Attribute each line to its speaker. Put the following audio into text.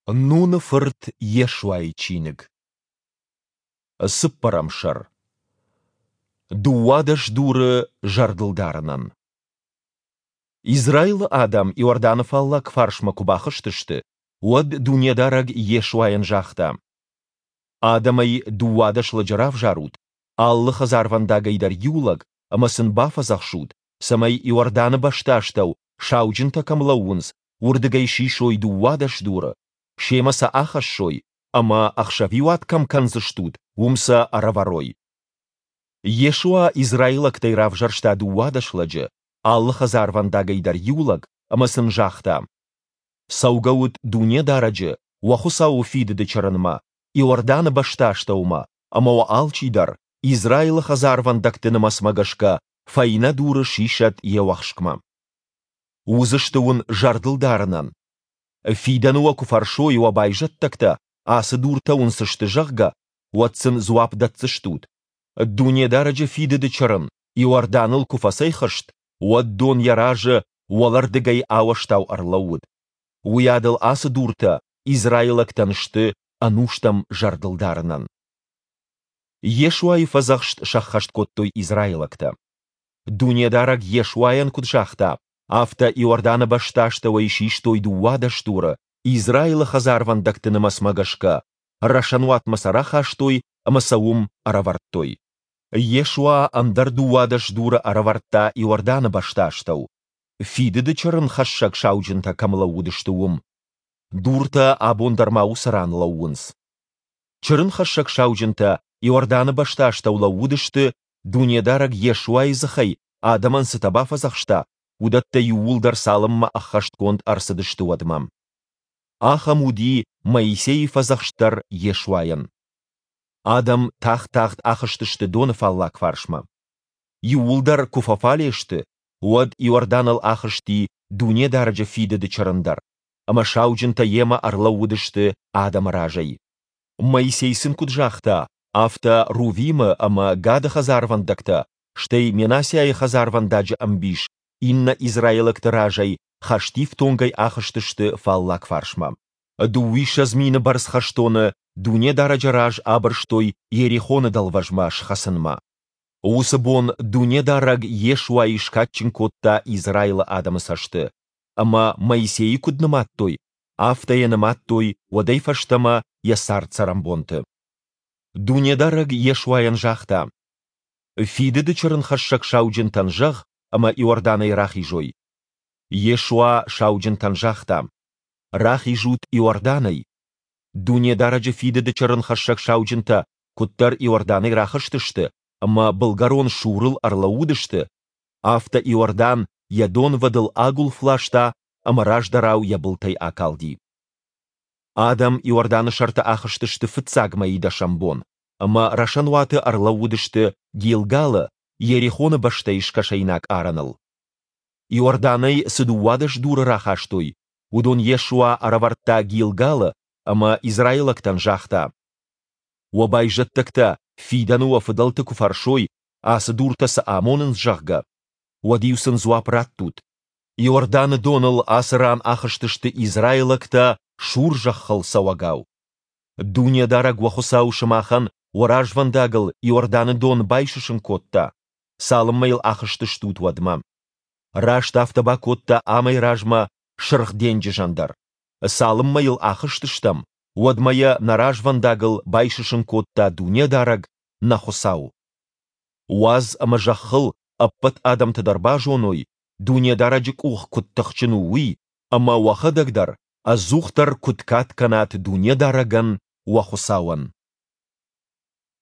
Speaker 1: Нуны фырт Йешуайы чиныг. Цыппӕрӕм сӕр. 12 дуры зӕрдылдарынӕн. Израилы адӕм Иорданы фаллаг фарсмӕ куы бахызтысты, уӕд Дунедарӕг Йешуайӕн загъта: Адӕмӕй 12 лӕджы равзарут, алы хӕдзарвӕндагӕй дӕр иу лӕг, ӕмӕ сын бафӕдзӕхсут, цӕмӕй Иорданы бӕстастӕу, сауджынтӕ кӕм лӕууынц, уырдыгӕй сисой 12 дуры, семӕ сӕ ахӕссой ӕмӕ, ӕхсӕвиуат кӕм кӕндзыстут, уым сӕ ӕрӕвӕрой. Йешуа израилӕгтӕй равзӕрста 12 лӕджы, алы хӕдзарвӕндагӕй дӕр иу лӕг, ӕмӕ сын загъта: Цӕугӕут Дунедарӕджы, уӕ Хуыцауы фидыды чырынмӕ, Иорданы бӕстастӕумӕ, ӕмӕ уӕ алчидӕр, Израилы хӕдзарвӕндӕгты нымӕцмӕ гӕсгӕ, фӕйнӕ дуры сисӕд йе уӕхскмӕ. Уыдзысты уын зӕрдылдарынӕн. Фидӕны уӕ куы фӕрсой уӕ байзӕддӕгтӕ, ацы дуртӕ уын цы сты, зӕгъгӕ, уӕд сын дзуапп дӕтдзыстут: Дунедарӕджы фидыды чырын Иорданыл куы фӕцӕйхызт, уӕд дон йӕ разы уӕлӕрдыгӕй ауӕзтау ӕрлӕууыд. Уыйадыл ацы дуртӕ израилӕгтӕн сты ӕнустӕм зӕрдылдарынӕн. Йешуайы фӕдзӕхст сӕххӕст кодтой израилӕгтӕ. Дунедарӕг Йешуайӕн куыд загъта, афтӕ Иорданы бӕстастӕуӕй систой 12 дуры, Израилы хӕдзарвӕндӕгты нымӕцмӕ гӕсгӕ, рӕсӕнуатмӕ сӕ рахастой ӕмӕ сӕ уым ӕрӕвӕрдтой. Йешуа ӕндӕр 12 дуры ӕрӕвӕрдта Иорданы бӕстастӕу, фидыды чырынхӕссӕг сауджынтӕ кӕм лӕууыдысты, уым. Дуртӕ абон дӕр ма уыцы ран лӕууынц. Чырынхӕссӕг сауджынтӕ Иорданы бӕстастӕу лӕууыдысты, Дунедарӕг Йешуайы дзыхӕй адӕмӕн цытӕ бафӕдзӕхста, уыдӕттӕ иууылдӕр цалынмӕ ӕххӕстгонд ӕрцыдысты, уӕдмӕ. Ахӕм уыди Моисейы фӕдзӕхст дӕр Йешуайӕн. Адӕм тагъд-тагъд ахызтысты доны фаллаг фарсмӕ. Иууылдӕр куы фӕфале сты, уӕд Иорданыл ахызти Дунедарӕджы фидыды чырын дӕр, ӕмӕ сауджынтӕ йемӕ ӕрлӕууыдысты адӕмы разӕй. Моисей сын куыд загъта, афтӕ Рувимы ӕмӕ Гады хӕдзарвӕндӕгтӕ, стӕй Менассиайы хӕдзарвӕндаджы ӕмбис иннӕ израилӕгты разӕй хӕстифтонгӕй ахызтысты фаллаг фарсмӕ. 22 000 бӕрц хӕстоны Дунедарӕджы раз абырстой Иерихоны дӕлвӕзмӕ схӕцынмӕ. Уыцы бон Дунедарӕг Йешуайы скадджын кодта Израилы адӕмы цӕсты, ӕмӕ Моисейы куыд нымадтой, афтӕ йӕ нымадтой уӕдӕй фӕстӕмӕ йӕ цард-цӕрӕнбонты. Дунедарӕг Йешуайӕн загъта: Фидыды чырынхӕссӕг сауджынтӕн зӕгъ, ӕмӕ Иорданӕй рахизой. Йешуа сауджынтӕн загъта: Рахизут Иорданӕй. Дунедарӕджы фидыды чырынхӕссӕг сауджынтӕ куыддӕр Иорданӕй рахызтысты ӕмӕ былгӕрон Сурыл ӕрлӕууыдысты, афтӕ Иордан йӕ донвӕдыл агуылф ласта ӕмӕ раздӕрау йӕ былтӕй акалди. Адӕм Иорданы сӕрты ахызтысты фыццаг мӕйы дӕсӕм бон ӕмӕ рӕсӕнуаты ӕрлӕууыдысты Гилгалы, Иерихоны бӕстӕйы скӕсӕйнаг арӕныл. Иорданӕй цы 12 дуры рахастой, уыдон Йешуа ӕрӕвӕрдта Гилгалы ӕмӕ израилӕгтӕн загъта: Уӕ байзӕддӕгтӕ фидӕны уӕ фыдӕлты куы фӕрсой, ацы дуртӕ цы амонынц, зӕгъгӕ, уӕд-иу сын дзуапп раттут: Иорданы доныл ацы ран ахызтысты израилӕгтӕ сур зӕххыл цӕуӕгау. Дунедарӕг уӕ Хуыцау сымахӕн уӕ развӕндагыл Иорданы дон байсысын кодта, цалынмӕ йыл ахызтыстут, уӕдмӕ. Раст афтӕ бакодта амӕй размӕ Сырх денджызӕн дӕр. Цалынмӕ йыл ахызтыстӕм, уӕдмӕ йӕ нӕ развӕндагыл байсысын кодта Дунедарӕг, нӕ Хуыцау. Уадз ӕмӕ зӕххыл ӕппӕт адӕмтӕ дӕр базоной, Дунедарӕджы къух куыд тыхджын у, уый, ӕмӕ уӕхӕдӕг дӕр ӕдзухдӕр куыд кад кӕнат Дунедарӕгӕн, уӕ Хуыцауӕн.